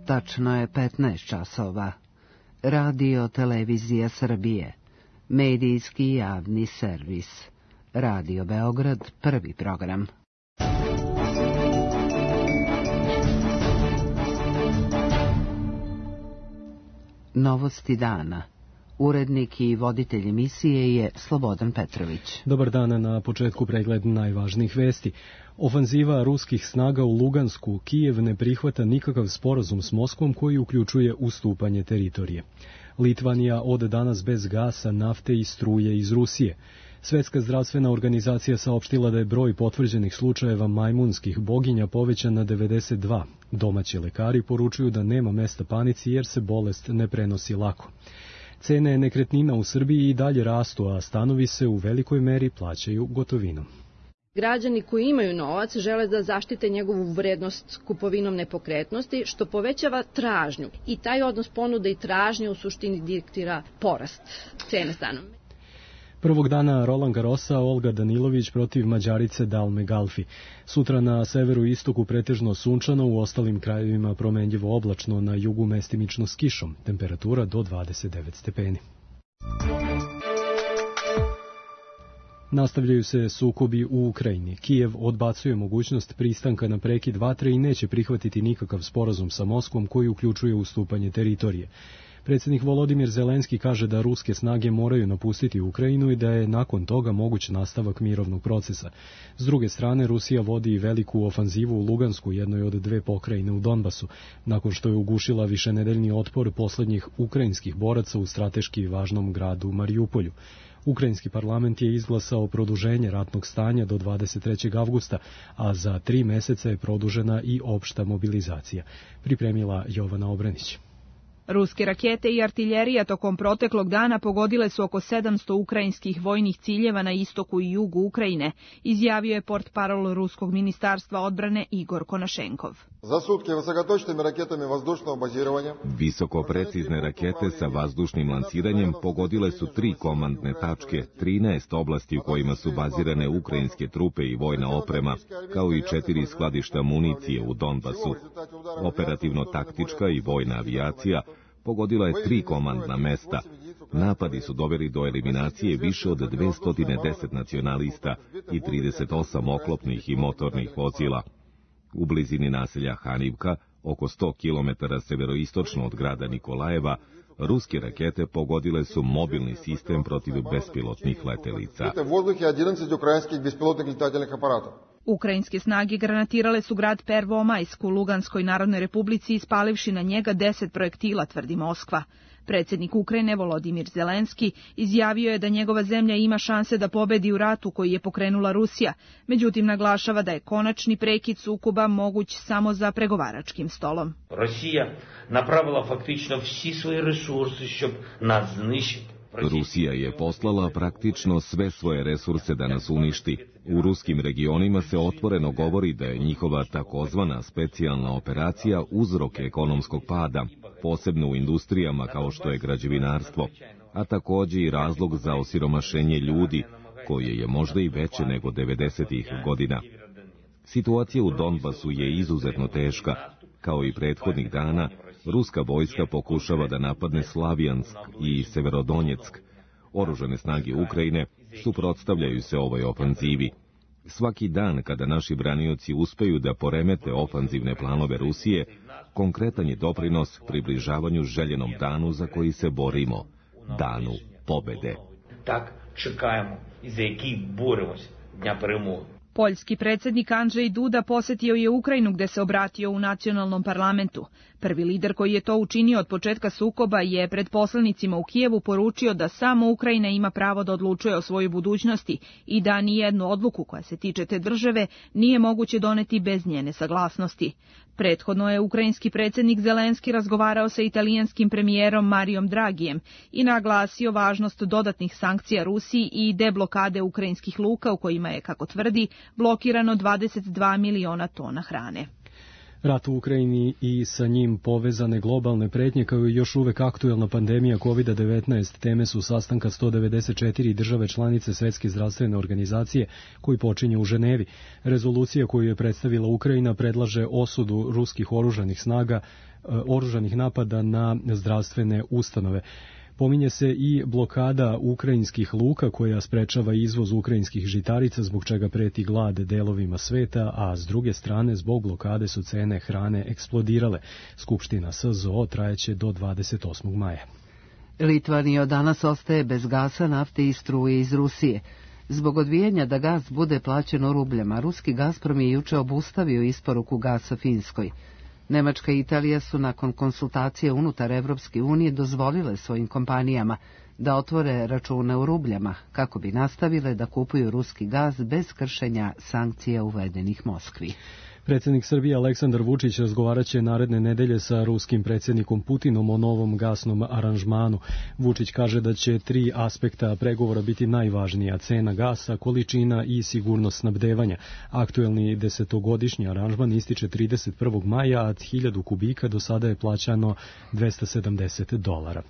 Tačno je 15 časova. Radio Televizija Srbije. Medijski javni servis. Radio Beograd, prvi program. Novosti dana. Urednik i voditelj emisije je Slobodan Petrović. Dobar dan, na početku pregled najvažnijih vesti. Ofanziva ruskih snaga u Lugansku, Kijev ne prihvata nikakav sporazum s Moskvom koji uključuje ustupanje teritorije. Litvanija od danas bez gasa, nafte i struje iz Rusije. Svetska zdravstvena organizacija saopštila da je broj potvrđenih slučajeva majmunskih boginja povećan na 92. Domaći lekari poručuju da nema mesta panici jer se bolest ne prenosi lako. Cene nekretnina u Srbiji i dalje rastu, a stanovi se u velikoj meri plaćaju gotovinom. Građani koji imaju novac žele da zaštite njegovu vrednost kupovinom nepokretnosti, što povećava tražnju. I taj odnos ponude i tražnje u suštini diktira porast cene stanova. Prvog dana Roland Garrosa Olga Danilović protiv Mađarice Dalme Galfi. Sutra na severu i istoku pretežno sunčano, u ostalim krajevima promenljivo oblačno, na jugu mestimično s kišom. Temperatura do 29 stepeni. Nastavljaju se sukobi u Ukrajini. Kijev odbacuje mogućnost pristanka na prekid vatre i neće prihvatiti nikakav sporazum sa Moskvom koji uključuje ustupanje teritorije. Predsjednik Volodimir Zelenski kaže da ruske snage moraju napustiti Ukrajinu i da je nakon toga moguć nastavak mirovnog procesa. S druge strane, Rusija vodi veliku ofanzivu u Lugansku, jednoj od dve pokrajine u Donbasu, nakon što je ugušila višenedeljni otpor posljednjih ukrajinskih boraca u strateški važnom gradu Marijupolju. Ukrajinski parlament je izglasao produženje ratnog stanja do 23. avgusta, a za 3 meseca je produžena i opšta mobilizacija. Pripremila Jovana Obranić. Ruske rakete i artiljerija tokom proteklog dana pogodile su oko 700 ukrajinskih vojnih ciljeva na istoku i jugu Ukrajine, izjavio je portparol Ruskog ministarstva odbrane Igor Konašenkov. Visoko precizne rakete sa vazdušnim lanciranjem pogodile su 3 komandne tačke, 13 oblasti u kojima su bazirane ukrajinske trupe i vojna oprema, kao i 4 skladišta municije u Donbasu. Operativno-taktička i vojna avijacija pogodila je 3 komandna mesta. Napadi su doveli do eliminacije više od 210 nacionalista i 38 oklopnih i motornih vozila. U blizini naselja Hanivka, oko 100 km severoistočno od grada Nikolajeva, ruske rakete pogodile su mobilni sistem protiv bespilotnih letelica. Ukrajinske snage granatirale su grad Pervomajsk u Luganskoj Narodnoj Republici, ispalivši na njega 10 projektila, tvrdi Moskva. Predsjednik Ukrajine Volodimir Zelenski izjavio je da njegova zemlja ima šanse da pobedi u ratu koji je pokrenula Rusija, međutim naglašava da je konačni prekid sukoba moguć samo za pregovaračkim stolom. Rusija napravila faktično vsi svoje resurse, щоб nas zničiti. Rusija je poslala praktično sve svoje resurse da nas uništi. U ruskim regionima se otvoreno govori da je njihova takozvana specijalna operacija uzrok ekonomskog pada, posebno u industrijama kao što je građevinarstvo, a također i razlog za osiromašenje ljudi, koje je možda i veće nego 90-ih godina. Situacija u Donbasu je izuzetno teška. Kao i prethodnih dana, ruska vojska pokušava da napadne Slavijansk i Severodonjeck. Oružane snage Ukrajine suprotstavljaju se ovoj ofanzivi. Svaki dan kada naši branioci uspeju da poremete ofanzivne planove Rusije, konkretan je doprinos približavanju željenom danu za koji se borimo, danu pobede. Tak čekajmo i za які боремося, дня перемоги. Poljski predsjednik Andrzej Duda posjetio je Ukrajinu gdje se obratio u nacionalnom parlamentu. Prvi lider koji je to učinio od početka sukoba je pred poslanicima u Kijevu poručio da samo Ukrajina ima pravo da odlučuje o svojoj budućnosti i da nijednu odluku koja se tiče te države nije moguće doneti bez njene saglasnosti. Prethodno je ukrajinski predsjednik Zelenski razgovarao sa italijanskim premijerom Marijom Dragijem i naglasio važnost dodatnih sankcija Rusiji i deblokade ukrajinskih luka u kojima je, kako tvrdi, blokirano 22 miliona tona hrane. Rat u Ukrajini i sa njim povezane globalne pretnje kao i još uvek aktuelna pandemija COVID-19 teme su sastanka 194 države članice Svetske zdravstvene organizacije koji počinje u Ženevi. Rezolucija koju je predstavila Ukrajina predlaže osudu ruskih oružanih napada na zdravstvene ustanove. Pominje se i blokada ukrajinskih luka koja sprečava izvoz ukrajinskih žitarica zbog čega preti glad delovima sveta, a s druge strane zbog blokade su cene hrane eksplodirale. Skupština SZO trajeće do 28. maja. Litvanija od danas ostaje bez gasa, nafte i struje iz Rusije. Zbog odbijanja da gas bude plaćen u rubljama, ruski Gazprom je juče obustavio isporuku gasa Finskoj. Nemačka i Italija su nakon konsultacije unutar Evropske unije dozvolile svojim kompanijama da otvore račune u rubljama kako bi nastavile da kupuju ruski gaz bez kršenja sankcija uvedenih Moskvi. Predsjednik Srbije Aleksandar Vučić razgovaraće naredne nedelje sa ruskim predsjednikom Putinom o novom gasnom aranžmanu. Vučić kaže da će 3 aspekta pregovora biti najvažnija: cena gasa, količina i sigurnost snabdevanja. Aktuelni 10-godišnji aranžman ističe 31. maja, a 1000 kubika do sada je plaćano $270.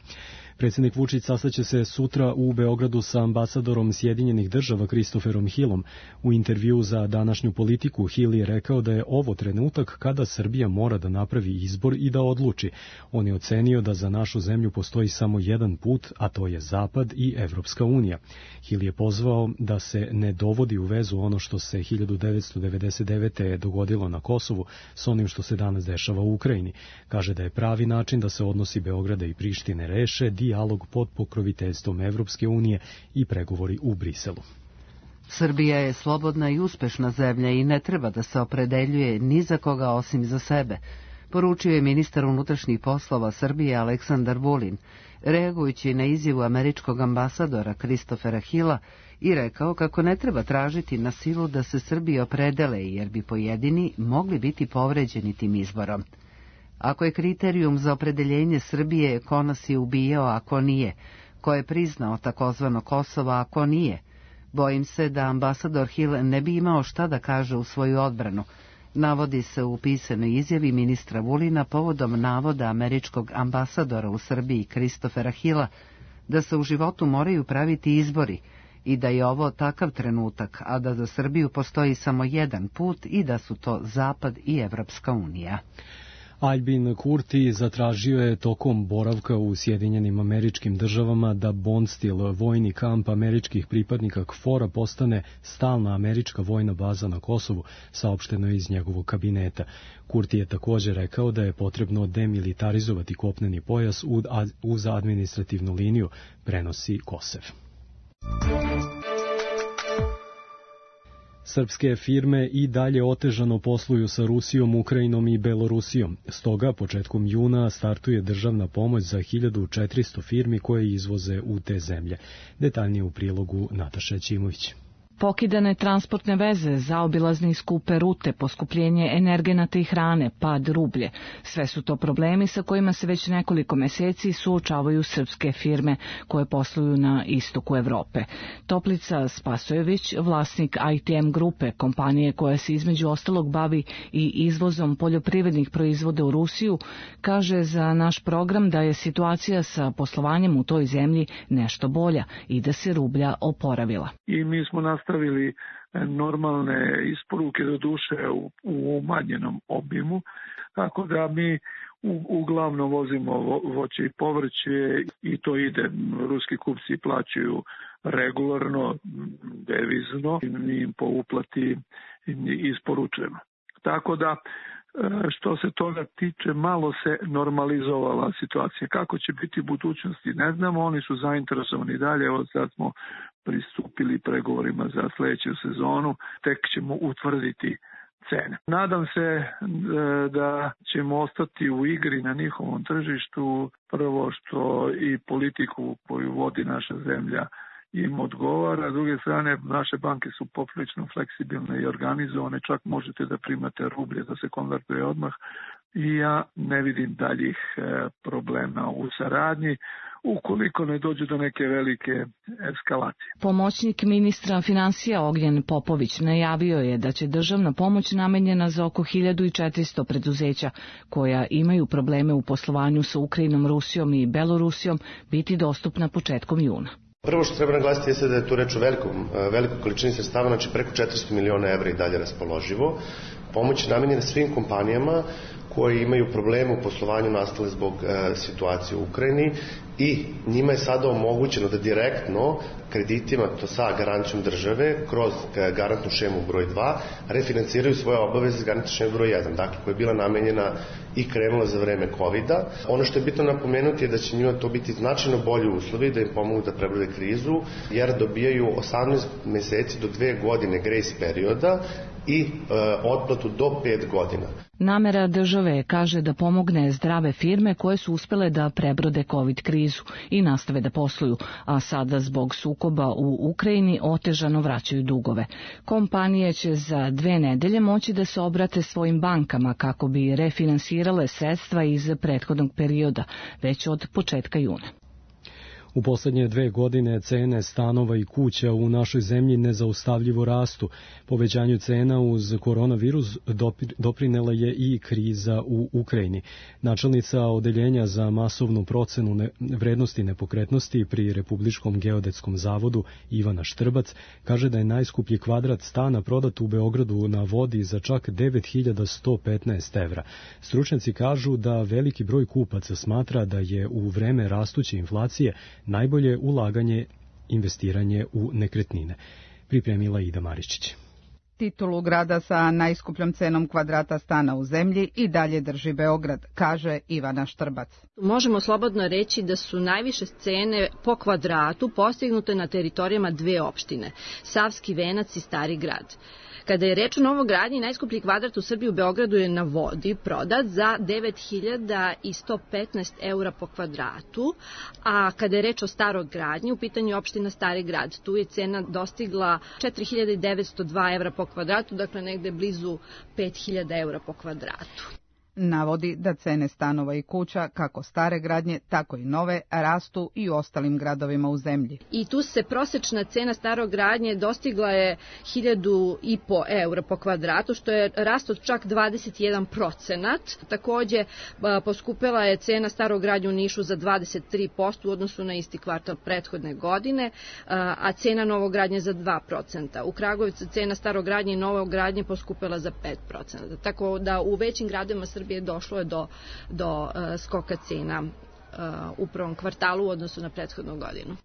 Predsjednik Vučić sastaće se sutra u Beogradu sa ambasadorom Sjedinjenih država Christopherom Hillom. U intervju za današnju Politiku Hill je rekao da je ovo trenutak kada Srbija mora da napravi izbor i da odluči. On je ocenio da za našu zemlju postoji samo jedan put, a to je Zapad i Evropska unija. Hill je pozvao da se ne dovodi u vezu ono što se 1999. dogodilo na Kosovu s onim što se danas dešava u Ukrajini. Kaže da je pravi način da se odnosi Beograda i Prištine reše dijalog pod pokroviteljstvom Evropske unije i pregovori u Briselu. Srbija je slobodna i uspešna zemlja i ne treba da se opredeljuje ni za koga osim za sebe, poručio je ministar unutrašnjih poslova Srbije Aleksandar Vulin, reagujući na izjavu američkog ambasadora Christophera Hilla i rekao kako ne treba tražiti na silu da se Srbiji opredele jer bi pojedini mogli biti povređeni tim izborom. Ako je kriterijum za opredeljenje Srbije ko nas je ubijao ako nije, ko je priznao takozvano Kosovo ako nije, bojim se da ambasador Hill ne bi imao šta da kaže u svoju odbranu, navodi se u pisanoj izjavi ministra Vulina povodom navoda američkog ambasadora u Srbiji Christophera Hilla da se u životu moraju praviti izbori i da je ovo takav trenutak, a da za Srbiju postoji samo jedan put i da su to Zapad i Evropska unija. Albin Kurti zatražio je tokom boravka u Sjedinjenim Američkim Državama da Bondstil, vojni kamp američkih pripadnika KFOR-a, postane stalna američka vojna baza na Kosovu, saopšteno je iz njegovog kabineta. Kurti je također rekao da je potrebno demilitarizovati kopneni pojas uz administrativnu liniju, prenosi Kosev. Srpske firme i dalje otežano posluju sa Rusijom, Ukrajinom i Belorusijom. Stoga, početkom juna startuje državna pomoć za 1400 firmi koje izvoze u te zemlje. Detaljnije u prilogu Nataša Ćimović. Pokidane transportne veze, zaobilazne i skupe rute, poskupljenje energenata i hrane, pad rublje. Sve su to problemi sa kojima se već nekoliko meseci suočavaju srpske firme koje posluju na istoku Evrope. Toplica Spasojević, vlasnik ITM grupe, kompanije koja se između ostalog bavi i izvozom poljoprivrednih proizvoda u Rusiju, kaže za naš program da je situacija sa poslovanjem u toj zemlji nešto bolja i da se rublja oporavila. I mi smo nastavili normalne isporuke, do duše u umanjenom obimu, tako da mi uglavnom vozimo voće i povrće i to ide. Ruski kupci plaćaju regularno, devizno, mi im po uplati isporučujemo. Tako da, što se toga tiče, malo se normalizovala situacija. Kako će biti u budućnosti, ne znamo, oni su zainteresovani dalje, evo sad smo pristupili pregovorima za sljedeću sezonu, tek ćemo utvrditi cene. Nadam se da ćemo ostati u igri na njihovom tržištu, prvo što i politiku koju vodi naša zemlja im odgovara. S druge strane, naše banke su poprilično fleksibilne i organizovane, čak možete da primate rublje da se konvertuje odmah i ja ne vidim daljih problema u saradnji ukoliko ne dođe do neke velike eskalacije. Pomoćnik ministra finansija Ognjen Popović najavio je da će državna pomoć namenjena za oko 1400 preduzeća koja imaju probleme u poslovanju sa Ukrajinom, Rusijom i Belorusijom biti dostupna početkom juna. Prvo što treba naglasiti jeste da je tu reč o velikoj količini sredstava, znači preko 400 miliona evra i dalje raspoloživo. Pomoć je namenjena svim kompanijama koji imaju probleme u poslovanju nastale zbog situacije u Ukrajini i njima je sada omogućeno da direktno kreditima, to sa garancijom države, kroz garantnu šemu broj 2, refinanciraju svoje obaveze s garantnom šemu broj 1, dakle koja je bila namenjena i krenula za vreme COVID-a. Ono što je bitno napomenuti je da će njima to biti značajno bolji uslovi da im pomogu da prebrode krizu, jer dobijaju 18 meseci do 2 godine grace perioda i otplatu do 5 godina. Namera države kaže da pomogne zdrave firme koje su uspele da prebrode COVID krizu i nastave da posluju, a sada zbog sukoba u Ukrajini otežano vraćaju dugove. Kompanije će za 2 nedelje moći da se obrate svojim bankama kako bi refinansirale sredstva iz prethodnog perioda, već od početka juna. U poslednje 2 godine cene stanova i kuća u našoj zemlji nezaustavljivo rastu. Povećanju cena uz koronavirus doprinela je i kriza u Ukrajini. Načelnica Odeljenja za masovnu procenu vrednosti nepokretnosti pri Republičkom geodetskom zavodu Ivana Štrbac kaže da je najskuplji kvadrat stana prodat u Beogradu na Vodi za čak 9.115 evra. Stručnjaci kažu da veliki broj kupaca smatra da je u vreme rastuće inflacije najbolje ulaganje investiranje u nekretnine. Pripremila Ida Maričić. Titulu grada sa najskupljom cenom kvadrata stana u zemlji i dalje drži Beograd, kaže Ivana Štrbac. Možemo slobodno reći da su najviše cene po kvadratu postignute na teritorijama 2 opštine, Savski Venac i Stari Grad. Kada je reč o novogradnji, najskuplji kvadrat u Srbiji u Beogradu je na Vodi prodat za 9.115 eura po kvadratu, a kada je reč o staroj gradnji, u pitanju je opština Stari Grad. Tu je cena dostigla 4.902 evra po kvadratu, dakle negde blizu 5.000 eura po kvadratu. Navodi da cene stanova i kuća, kako stare gradnje, tako i nove, rastu i u ostalim gradovima u zemlji. I tu se prosečna cena starog gradnje dostigla je 1.500 eura po kvadratu, što je rast od čak 21%. Takođe, poskupela je cena starog gradnje u Nišu za 23% u odnosu na isti kvartal prethodne godine, a cena novogradnje za 2%. U Kragujevcu cena starog gradnje i novogradnje poskupela za 5%. Tako da u većim gradovima Srbije došlo je do skoka cena u prvom kvartalu u odnosu na prethodnu godinu.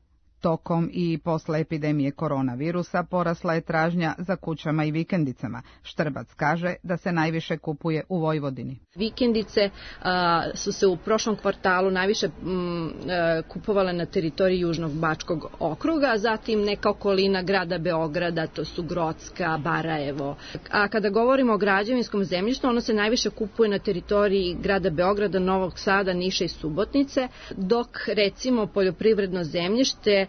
Tokom i posle epidemije koronavirusa porasla je tražnja za kućama i vikendicama. Štrbac kaže da se najviše kupuje u Vojvodini. Vikendice su se u prošlom kvartalu najviše kupovale na teritoriji Južnog Bačkog okruga, zatim neka okolina grada Beograda, to su Grocka, Barajevo. A kada govorimo o građevinskom zemljištu, ono se najviše kupuje na teritoriji grada Beograda, Novog Sada, Niša i Subotice, dok recimo poljoprivredno zemljište,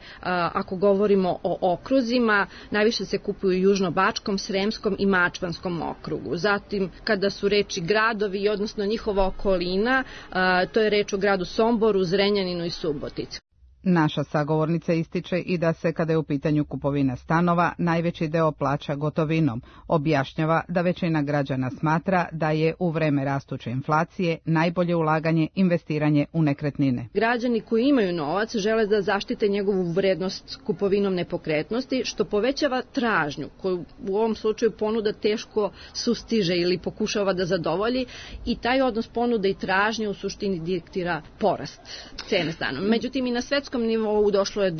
ako govorimo o okruzima, najviše se kupuju u Južnobačkom, Sremskom i Mačvanskom okrugu. Zatim, kada su reči gradovi, odnosno njihova okolina, to je reč o gradu Somboru, Zrenjaninu i Subotici. Naša sagovornica ističe i da se, kada je u pitanju kupovina stanova, najveći deo plaća gotovinom. Objašnjava da većina građana smatra da je u vreme rastuće inflacije najbolje ulaganje investiranje u nekretnine. Građani koji imaju novac žele da zaštite njegovu vrednost kupovinom nepokretnosti, što povećava tražnju, koju u ovom slučaju ponuda teško sustiže ili pokušava da zadovolji, i taj odnos ponude i tražnje u suštini diktira porast cene stanova. Međutim, i na svetskom nivou došlo je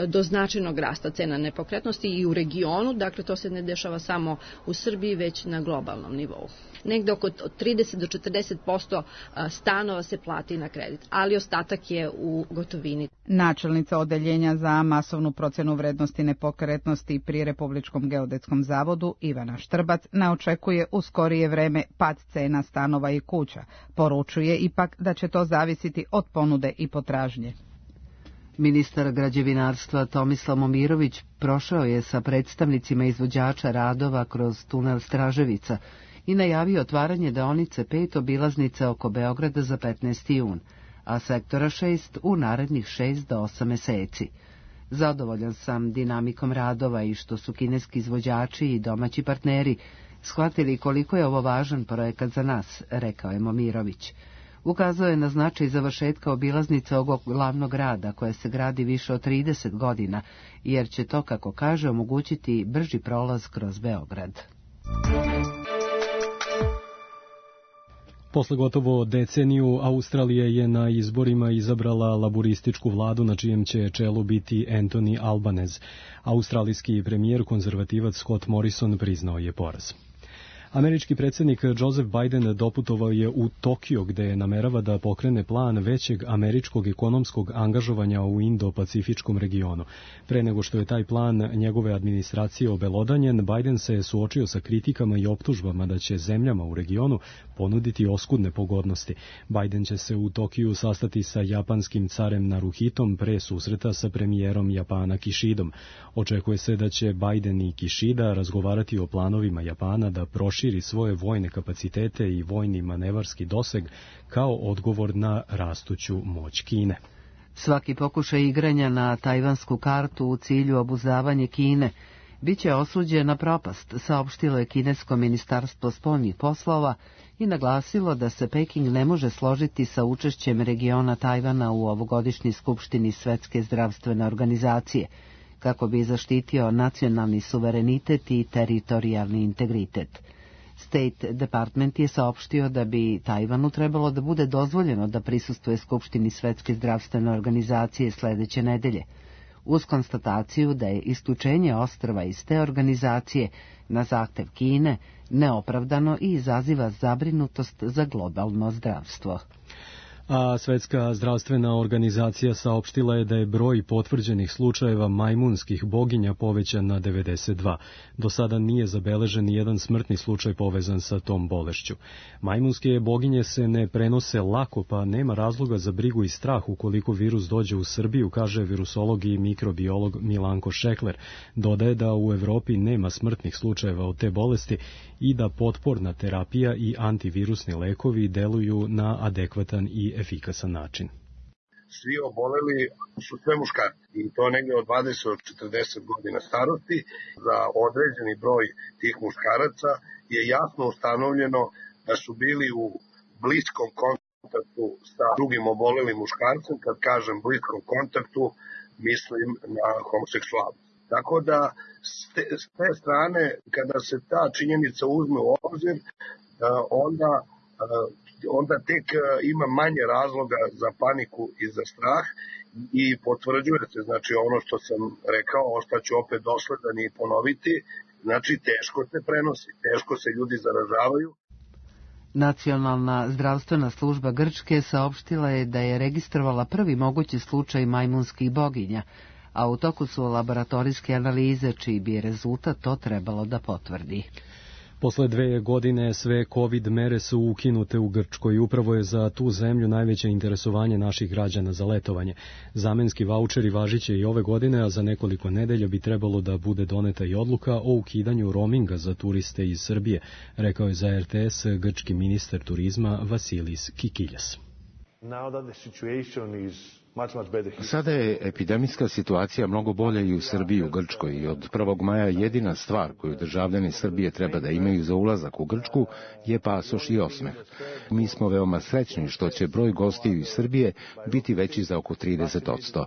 do značajnog rasta cena nepokretnosti i u regionu, dakle to se ne dešava samo u Srbiji, već na globalnom nivou. Negde oko 30 do 40% stanova se plati na kredit, ali ostatak je u gotovini. Načelnica Odeljenja za masovnu procenu vrednosti nepokretnosti pri Republičkom geodetskom zavodu Ivana Štrbac ne očekuje u skorije vreme pad cena stanova i kuća. Poručuje ipak da će to zavisiti od ponude i potražnje. Ministar građevinarstva Tomislav Momirović prošao je sa predstavnicima izvođača radova kroz tunel Straževica i najavio otvaranje deonice 5 obilaznice oko Beograda za 15. jun, a sektora 6 u narednih 6 do 8 meseci. Zadovoljan sam dinamikom radova i što su kineski izvođači i domaći partneri shvatili koliko je ovo važan projekat za nas, rekao je Momirović. Ukazao je na značaj završetka obilaznice ovog glavnog grada, koja se gradi više od 30 godina, jer će to, kako kaže, omogućiti brži prolaz kroz Beograd. Posle gotovo deceniju, Australija je na izborima izabrala laburističku vladu na čijem će čelu biti Anthony Albanese. Australijski premijer, konzervativac Scott Morrison, priznao je poraz. Američki predsjednik Joseph Biden doputovao je u Tokio, gde namerava da pokrene plan većeg američkog ekonomskog angažovanja u Indo-Pacifičkom regionu. Pre nego što je taj plan njegove administracije obelodanjen, Biden se suočio sa kritikama i optužbama da će zemljama u regionu ponuditi oskudne pogodnosti. Biden će se u Tokiju sastati sa japanskim carem Naruhitom pre susreta sa premijerom Japana Kishidom. Očekuje se da će Biden i Kishida razgovarati o planovima Japana da proširi svoje vojne kapacitete i vojni manevarski doseg kao odgovor na rastuću moć Kine. Svaki pokušaj igranja na tajvansku kartu u cilju obuzdavanja Kine biće osuđen na propast, saopštilo je kinesko ministarstvo spoljnih poslova i naglasilo da se Peking ne može složiti sa učešćem regiona Tajvana u ovogodišnjoj skupštini Svetske zdravstvene organizacije, kako bi zaštitio nacionalni suverenitet i teritorijalni integritet. State Department je saopštio da bi Tajvanu trebalo da bude dozvoljeno da prisustvuje skupštini Svetske zdravstvene organizacije sledeće nedelje, uz konstataciju da je isključenje ostrva iz te organizacije na zahtev Kine neopravdano i izaziva zabrinutost za globalno zdravstvo. A Svetska zdravstvena organizacija saopštila je da je broj potvrđenih slučajeva majmunskih boginja povećan na 92. Do sada nije zabeležen nijedan smrtni slučaj povezan sa tom bolešću. Majmunske boginje se ne prenose lako, pa nema razloga za brigu i strah ukoliko virus dođe u Srbiju, kaže virusolog i mikrobiolog Milanko Šekler. Dodaje da u Evropi nema smrtnih slučajeva od te bolesti i da potporna terapija i antivirusni lekovi deluju na adekvatan i efikasan način. Svi oboleli su sve muškarci i to negde od 20 do 40 godina starosti. Za određeni broj tih muškaraca je jasno ustanovljeno da su bili u bliskom kontaktu sa drugim obolelim muškarcem. Kad kažem bliskom kontaktu, mislim na homoseksualnost. Tako da s te strane, kada se ta činjenica uzme u obzir, onda tek ima manje razloga za paniku i za strah i potvrđuje se, znači ono što sam rekao, ostaću opet dosledan i ponoviti, znači teško se prenosi, teško se ljudi zaražavaju. Nacionalna zdravstvena služba Grčke saopštila je da je registrovala prvi mogući slučaj majmunskih boginja, a u toku su laboratorijske analize čiji bi rezultat to trebalo da potvrdi. Posle 2 godine sve COVID mere su ukinute u Grčkoj. Upravo je za tu zemlju najveće interesovanje naših građana za letovanje. Zamenski vaučeri važiće i ove godine, a za nekoliko nedelja bi trebalo da bude doneta i odluka o ukidanju roaminga za turiste iz Srbije, rekao je za RTS grčki ministar turizma Vasilis Kikiljas. Sada je epidemijska situacija mnogo bolja i u Srbiji i u Grčkoj i od 1. maja jedina stvar koju državljani Srbije treba da imaju za ulazak u Grčku je pasoš i osmeh. Mi smo veoma srećni što će broj gostiju iz Srbije biti veći za oko 30%.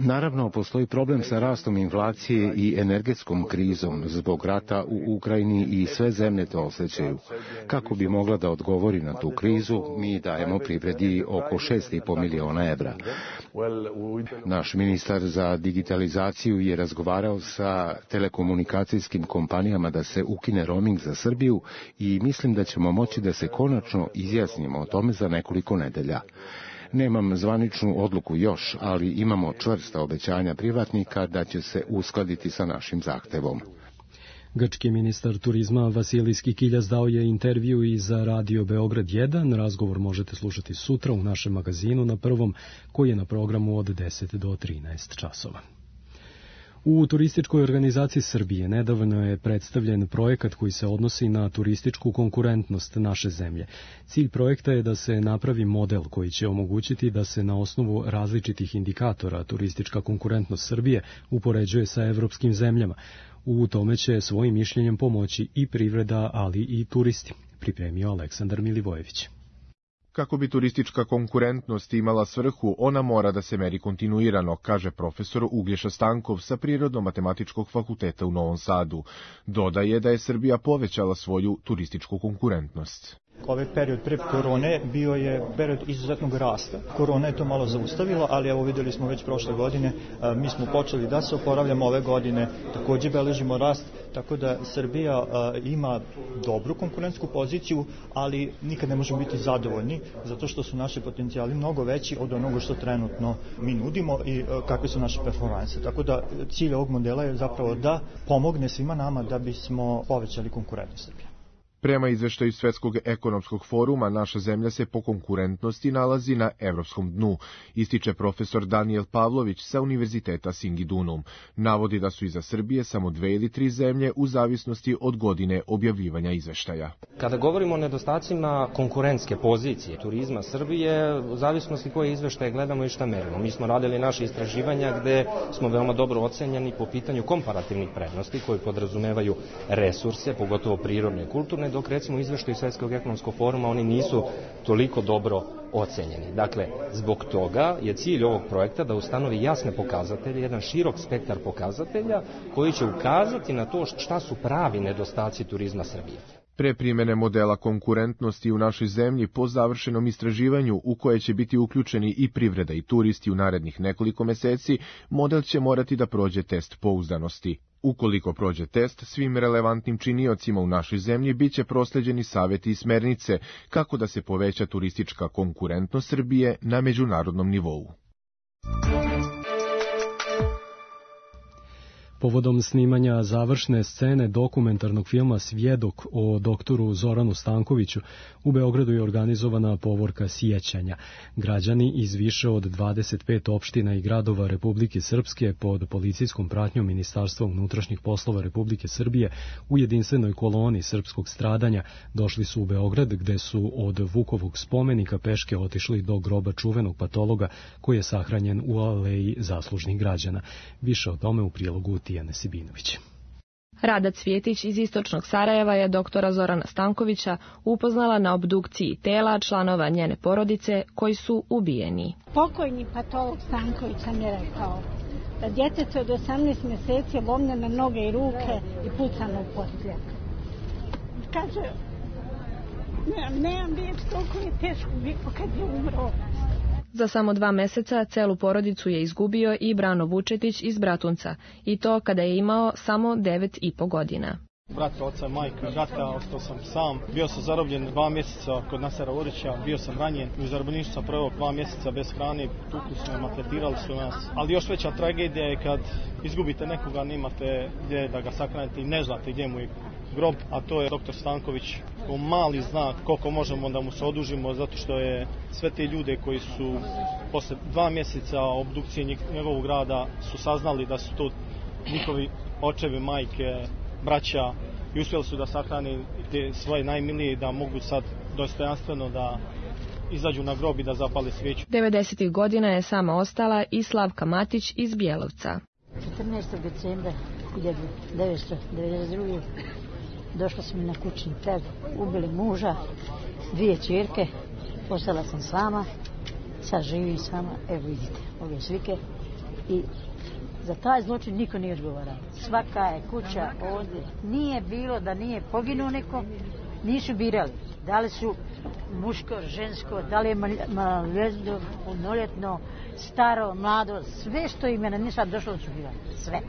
Naravno, postoji problem sa rastom inflacije i energetskom krizom zbog rata u Ukrajini i sve zemlje to osjećaju. Kako bi mogla da odgovori na tu krizu, mi dajemo privredi oko 6,5 miliona evra. Naš ministar za digitalizaciju je razgovarao sa telekomunikacijskim kompanijama da se ukine roaming za Srbiju i mislim da ćemo moći da se konačno izjasnimo o tome za nekoliko nedelja. Nemam zvaničnu odluku još, ali imamo čvrsta obećanja privatnika da će se uskladiti sa našim zahtevom. Grčki ministar turizma Vasilijski Kiljas dao je intervju i za Radio Beograd 1. Razgovor možete slušati sutra u našem magazinu na Prvom, koji je na programu od 10 do 13 časova. U turističkoj organizaciji Srbije nedavno je predstavljen projekat koji se odnosi na turističku konkurentnost naše zemlje. Cilj projekta je da se napravi model koji će omogućiti da se na osnovu različitih indikatora turistička konkurentnost Srbije upoređuje sa evropskim zemljama. U tome će svojim mišljenjem pomoći i privreda, ali i turisti, pripremio Aleksandar Milivojević. Kako bi turistička konkurentnost imala svrhu, ona mora da se meri kontinuirano, kaže profesor Uglješa Stankov sa Prirodno-matematičkog fakulteta u Novom Sadu. Dodaje da je Srbija povećala svoju turističku konkurentnost. Ovaj period pre korone bio je period izuzetnog rasta. Korona je to malo zaustavila, ali evo videli smo već prošle godine, mi smo počeli da se oporavljamo ove godine, takođe beležimo rast, tako da Srbija ima dobru konkurentsku poziciju, ali nikad ne možemo biti zadovoljni, zato što su naši potencijali mnogo veći od onoga što trenutno mi nudimo i kakve su naše performanse. Tako da cilj ovog modela je zapravo da pomogne svima nama da bismo povećali konkurentnost Srbije. Prema izveštaju Svetskog ekonomskog foruma, naša zemlja se po konkurentnosti nalazi na evropskom dnu, ističe profesor Daniel Pavlović sa Univerziteta Singidunum. Navodi da su iza Srbije samo 2 ili 3 zemlje u zavisnosti od godine objavljivanja izveštaja. Kada govorimo o nedostacima konkurentske pozicije turizma Srbije, u zavisnosti koje izveštaje gledamo i šta merimo. Mi smo radili naše istraživanja gde smo veoma dobro ocenjeni po pitanju komparativnih prednosti koje podrazumevaju resurse, pogotovo prirodne i kulturne, dok recimo u izveštaju Svetskog ekonomskog foruma oni nisu toliko dobro ocenjeni. Dakle, zbog toga je cilj ovog projekta da ustanovi jasne pokazatelje, jedan širok spektar pokazatelja koji će ukazati na to šta su pravi nedostaci turizma Srbije. Pre primene modela konkurentnosti u našoj zemlji po završenom istraživanju u koje će biti uključeni i privreda i turisti u narednih nekoliko meseci, model će morati da prođe test pouzdanosti. Ukoliko prođe test, svim relevantnim činiocima u našoj zemlji biće prosleđeni saveti i smernice kako da se poveća turistička konkurentnost Srbije na međunarodnom nivou. Povodom snimanja završne scene dokumentarnog filma Svjedok o doktoru Zoranu Stankoviću, u Beogradu je organizovana povorka sjećanja. Građani iz više od 25 opština i gradova Republike Srpske pod policijskom pratnjom Ministarstva unutrašnjih poslova Republike Srbije u jedinstvenoj koloni srpskog stradanja došli su u Beograd, gde su od Vukovog spomenika peške otišli do groba čuvenog patologa koji je sahranjen u aleji zaslužnih građana. Više o tome u prilogu Tijane Sibinović. Rada Cvjetić iz istočnog Sarajeva je doktora Zorana Stankovića upoznala na obdukciji tela članova njene porodice koji su ubijeni. Pokojni patolog Stanković sam je rekao da djetete od 18 mjeseci je lomljene noge i ruke i pucano u podsljak. Kaže, nemam riječ, toliko je teško bilo kad je umro. Za samo 2 meseca celu porodicu je izgubio i Brano Vučetić iz Bratunca, i to kada je imao samo 9,5 godina. Brat, oca, majka, brata, ostao sam sam. Bio sam zarobljen 2 mjeseca kod Nasera Orića, bio sam ranjen. U zarobljeništvu sam proveo 2 mjeseca bez hrane, tukli su me, maltretirali su nas. Ali još veća tragedija je kad izgubite nekoga, nemate gdje da ga sakranite i ne znate gdje mu je grob, a to je doktor Stanković. Mali znak koliko možemo da mu se odužimo, zato što je sve te ljude koji su posle 2 mjeseca obdukcije njegovog rada su saznali da su to njihovi očevi, majke, braća i uspjeli su da sahrane te svoje najmilije i da mogu sad dostojanstveno da izađu na grob i da zapale svijeću. 90. godina je sama ostala i Slavka Matić iz Bjelovca. 14. decembra 1992. došla sam na kućni trag, ubili muža, 2 ćerke, ostala sam sama, sad živim sama, evo vidite ove slike i za taj zločin niko nije odgovarao. Svaka je kuća ovdje, nije bilo da nije poginuo neko, nisu birali. Da li su muško, žensko, da li je maloljetno, punoljetno, staro, mlado, sve što im je na njih sad došlo da su birali, sve.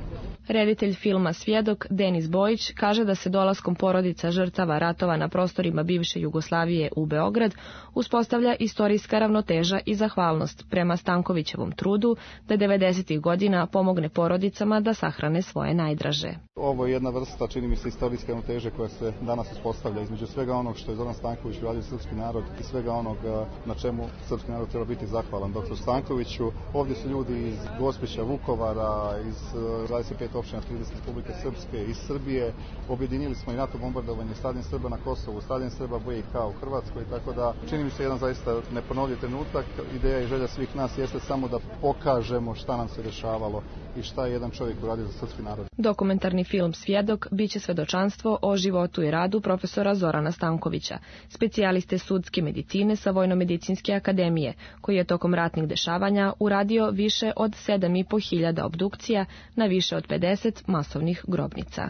Reditelj filma Svjedok Denis Bojić kaže da se dolaskom porodica žrtava ratova na prostorima bivše Jugoslavije u Beograd uspostavlja istorijska ravnoteža i zahvalnost prema Stankovićevom trudu da 90. godina pomogne porodicama da sahrane svoje najdraže. Ovo je jedna vrsta, čini mi se, istorijske ravnoteže koja se danas uspostavlja između svega onog što je Zoran Stanković uradio srpski narod i svega onog na čemu srpski narod treba biti zahvalan dr. Stankoviću. Ovdje su ljudi iz Gospića, Vukovara, iz 25 opština 30 Republike Srpske, iz Srbije. Objedinili smo i NATO bombardovanje, stradanje Srba na Kosovu, stradanje Srba BiH u Hrvatskoj, tako da čini mi se jedan zaista neponovljiv trenutak. Ideja i želja svih nas jeste samo da pokažemo šta nam se dešavalo i šta je jedan čovjek uradio za srpski narod. Dokumentarni film Svjedok biće svedočanstvo o životu i radu profesora Zorana Stankovića, specijaliste sudske medicine sa Vojno-medicinske akademije, koji je tokom ratnih dešavanja uradio više od 7.500 obdukcija na više od 50 masovnih grobnica.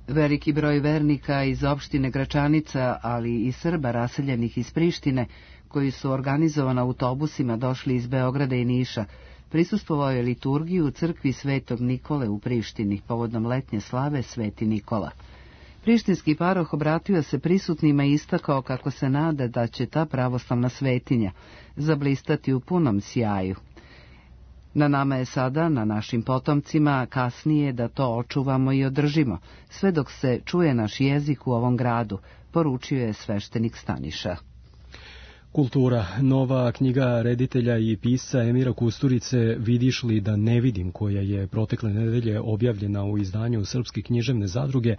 Veliki broj vernika iz opštine Gračanica, ali i Srba raseljenih iz Prištine, koji su organizovano autobusima došli iz Beograda i Niša, prisustvovao je liturgiju u crkvi Svetog Nikole u Prištini, povodom letnje slave Sveti Nikola. Prištinski paroh obratio se prisutnima i istakao kako se nada da će ta pravoslavna svetinja zablistati u punom sjaju. Na nama je sada, na našim potomcima, kasnije da to očuvamo i održimo, sve dok se čuje naš jezik u ovom gradu, poručio je sveštenik Staniša. Kultura. Nova knjiga reditelja i pisca Emira Kusturice Vidiš li da ne vidim, koja je protekle nedelje objavljena u izdanju Srpske književne zadruge,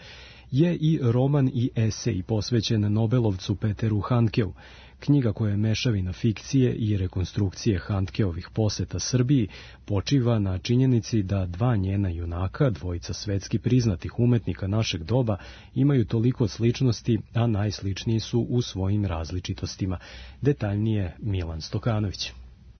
je i roman i esej posvećen Nobelovcu Peteru Handkeu. Knjiga koja je mešavina fikcije i rekonstrukcije Handkeovih poseta Srbiji počiva na činjenici da dva njena junaka, dvojica svetski priznatih umetnika našeg doba, imaju toliko sličnosti, a najsličniji su u svojim različitostima. Detaljnije Milan Stokanović.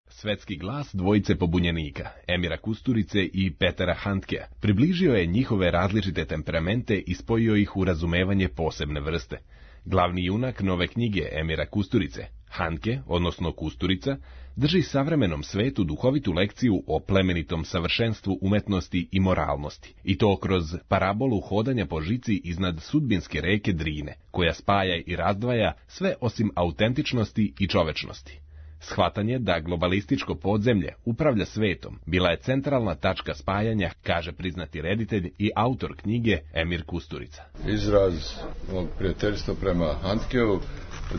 Svetski glas dvojice pobunjenika, Emira Kusturice i Petera Handkea, približio je njihove različite temperamente i spojio ih u razumevanje posebne vrste. Glavni junak nove knjige Emira Kusturice, Handke, odnosno Kusturica, drži savremenom svetu duhovitu lekciju o plemenitom savršenstvu umetnosti i moralnosti, i to kroz parabolu hodanja po žici iznad sudbinske reke Drine, koja spaja i razdvaja sve osim autentičnosti i čovečnosti. Shvatanje da globalističko podzemlje upravlja svetom bila je centralna tačka spajanja, kaže priznati reditelj i autor knjige Emir Kusturica. Izraz mog prijateljstva prema Handkeu,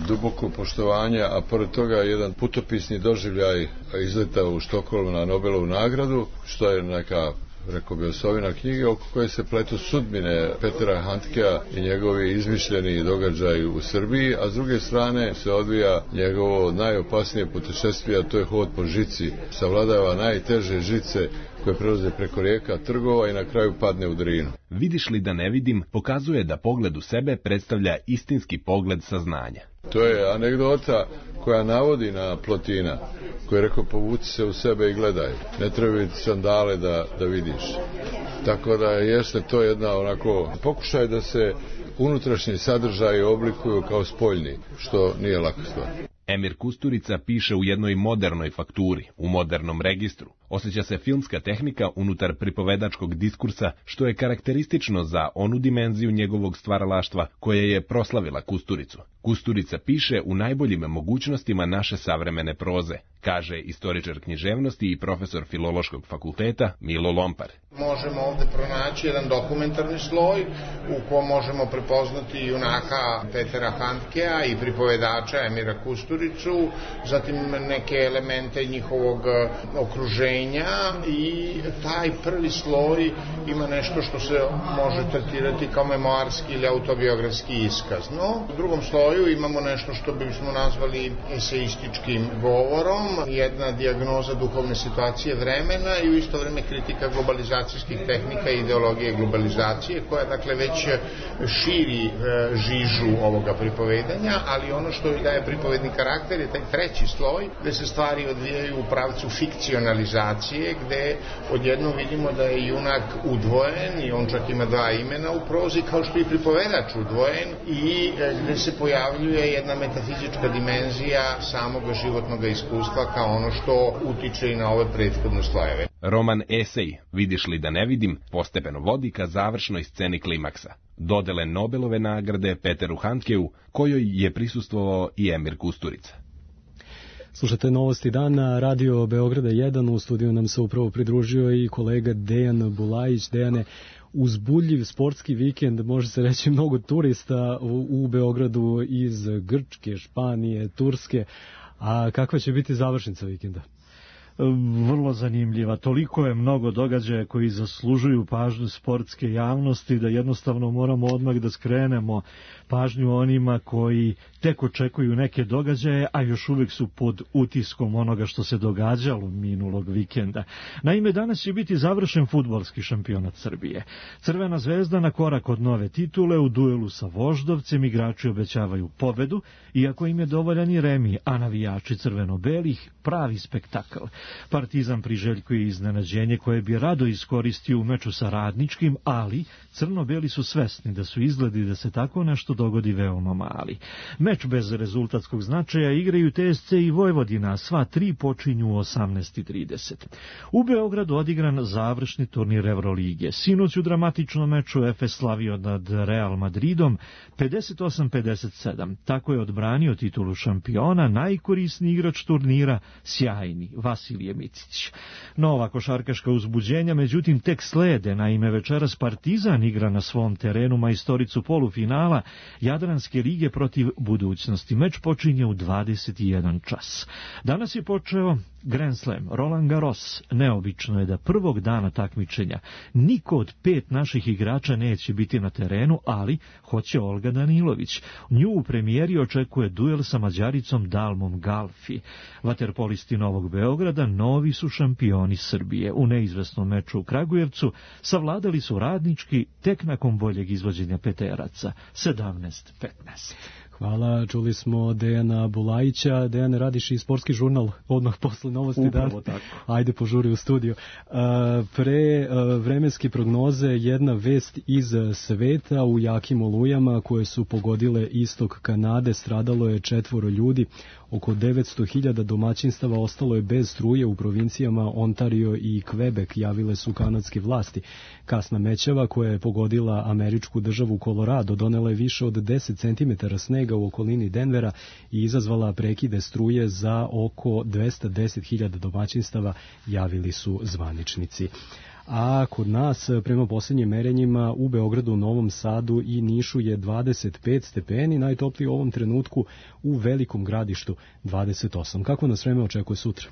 duboko poštovanje, a pored toga jedan putopisni doživljaj izleta u Štokholmu na Nobelovu nagradu, što je neka, rekao bi, osovina knjige oko koje se pletu sudbine Petera Handkea i njegovi izmišljeni događaji u Srbiji, a s druge strane se odvija njegovo najopasnije putešestvije, a to je hod po žici. Savladava najteže žice koje prelaze preko rijeka, trgova i na kraju padne u Drinu. Vidiš li da ne vidim pokazuje da pogled u sebe predstavlja istinski pogled saznanja. To je anegdota koja navodi na Plotina, koji je rekao povuci se u sebe i gledaj. Ne treba biti sandale da vidiš. Tako da jeste to jedna onako pokušaj da se unutrašnji sadržaji oblikuju kao spoljni, što nije laka stvar. Emir Kusturica piše u jednoj modernoj fakturi, u modernom registru. Osjeća se filmska tehnika unutar pripovedačkog diskursa, što je karakteristično za onu dimenziju njegovog stvaralaštva koja je proslavila Kusturicu. Kusturica piše u najboljim mogućnostima naše savremene proze, kaže istoričar književnosti i profesor Filološkog fakulteta Milo Lompar. Možemo ovde pronaći jedan dokumentarni sloj u kom možemo prepoznati junaka Petera Handkea i pripovedača Emira Kusturicu, zatim neke elemente njihovog okruženja i taj prvi sloj ima nešto što se može tretirati kao memoarski ili autobiografski iskaz. No, u drugom sloju imamo nešto što bismo nazvali eseističkim govorom, jedna dijagnoza duhovne situacije vremena i u isto vreme kritika globalizacijskih tehnika i ideologije globalizacije, koja dakle već širi žižu ovoga pripovedanja, ali ono što joj daje pripovedni karakter je taj treći sloj, gde se stvari odvijaju u pravcu fikcionalizacije, gde odjednom vidimo da je junak udvojen i on čak ima dva imena u prozi, kao što i pripovedač udvojen, i gde se pojavljuje jedna metafizička dimenzija samog životnog iskustva kao ono što utiče i na ove prethodne slojeve. Roman esej Vidiš li da ne vidim postepeno vodi ka završnoj sceni klimaksa, dodele Nobelove nagrade Peteru Handkeu, kojoj je prisustvovao i Emir Kusturica. Slušajte Novosti dana, Radio Beograda 1, u studiju nam se upravo pridružio i kolega Dejan Bulajić. Dejane, uzbudljiv sportski vikend, može se reći mnogo turista u Beogradu iz Grčke, Španije, Turske, a kakva će biti završnica vikenda? Vrlo zanimljiva. Toliko je mnogo događaja koji zaslužuju pažnju sportske javnosti da jednostavno moramo odmah da skrenemo pažnju onima koji tek očekuju neke događaje, a još uvijek su pod utiskom onoga što se događalo minulog vikenda. Naime, danas će biti završen fudbalski šampionat Srbije. Crvena zvezda na korak od nove titule u duelu sa Voždovcem, igrači obećavaju pobedu, iako im je dovoljan i remi, a navijači crveno-belih pravi spektakl. Partizan priželjkuje iznenađenje koje bi rado iskoristio u meču sa Radničkim, ali crno-beli su svesni da su izgledi da se tako nešto dogodi veoma mali. Meč bez rezultatskog značaja igraju TSC i Vojvodina, sva tri počinju u 18:30. U Beogradu odigran završni turnir Evrolige. Sinoć u dramatičnom meču Efes slavio nad Real Madridom 58-57. Tako je odbranio titulu šampiona najkorisniji igrač turnira, sjajni Vasilije Micić. Nova košarkaška uzbuđenja, međutim, tek slede. Naime, večeras Partizan igra na svom terenu majstoricu polufinala Jadranske lige protiv Budućnosti. Meč počinje u 21 čas. Danas je počeo Grand Slam, Roland Garros. Neobično je da prvog dana takmičenja niko od 5 naših igrača neće biti na terenu, ali hoće Olga Danilović. Nju u premijeri očekuje duel sa Mađaricom Dalmom Galfi. Vaterpolisti Novog Beograda novi su šampioni Srbije. U neizvesnom meču u Kragujevcu savladali su Radnički tek nakon boljeg izvođenja peteraca 17-15. Hvala, čuli smo Dejana Bulajića. Dejane, radiš i sportski žurnal odmah posle Novosti dana. Upravo tako. Ajde, požuri u studiju. Pre vremenske prognoze jedna vest iz sveta. U jakim olujama koje su pogodile istok Kanade stradalo je 4 ljudi. Oko 900.000 domaćinstava ostalo je bez struje u provincijama Ontario i Quebec, javile su kanadske vlasti. Kasna mećava koja je pogodila američku državu Colorado donela je više od 10 cm snega u okolini Denvera i izazvala prekide struje za oko 210.000 domaćinstava, javili su zvaničnici. A kod nas, prema posljednjim merenjima, u Beogradu, Novom Sadu i Nišu je 25 stepeni, najtopliji u ovom trenutku u Velikom Gradištu 28. Kako nas vreme očekuje sutra?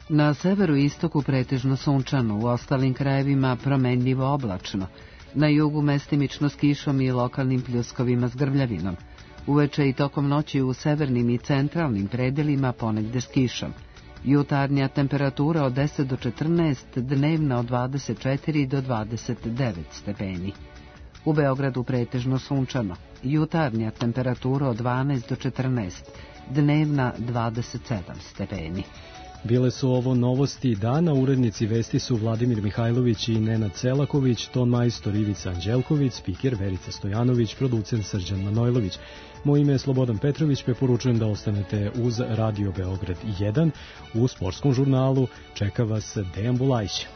Na severu i istoku pretežno sunčano, u ostalim krajevima promenljivo oblačno. Na jugu mestimično s kišom i lokalnim pljuskovima s grmljavinom. Uveče i tokom noći u severnim i centralnim predelima ponegde s kišom. Jutarnja temperatura od 10 do 14, dnevna od 24 do 29 stepeni. U Beogradu pretežno sunčano. Jutarnja temperatura od 12 do 14, dnevna 27 stepeni. Bile su ovo novosti dana, urednici vesti su Vladimir Mihajlović i Nenad Celaković, ton majstor Ivica Anđelković, spiker Verica Stojanović, producent Srđan Manojlović. Moje ime je Slobodan Petrović, preporučujem da ostanete uz Radio Beograd 1. U sportskom žurnalu čeka vas Dejan Bulajić.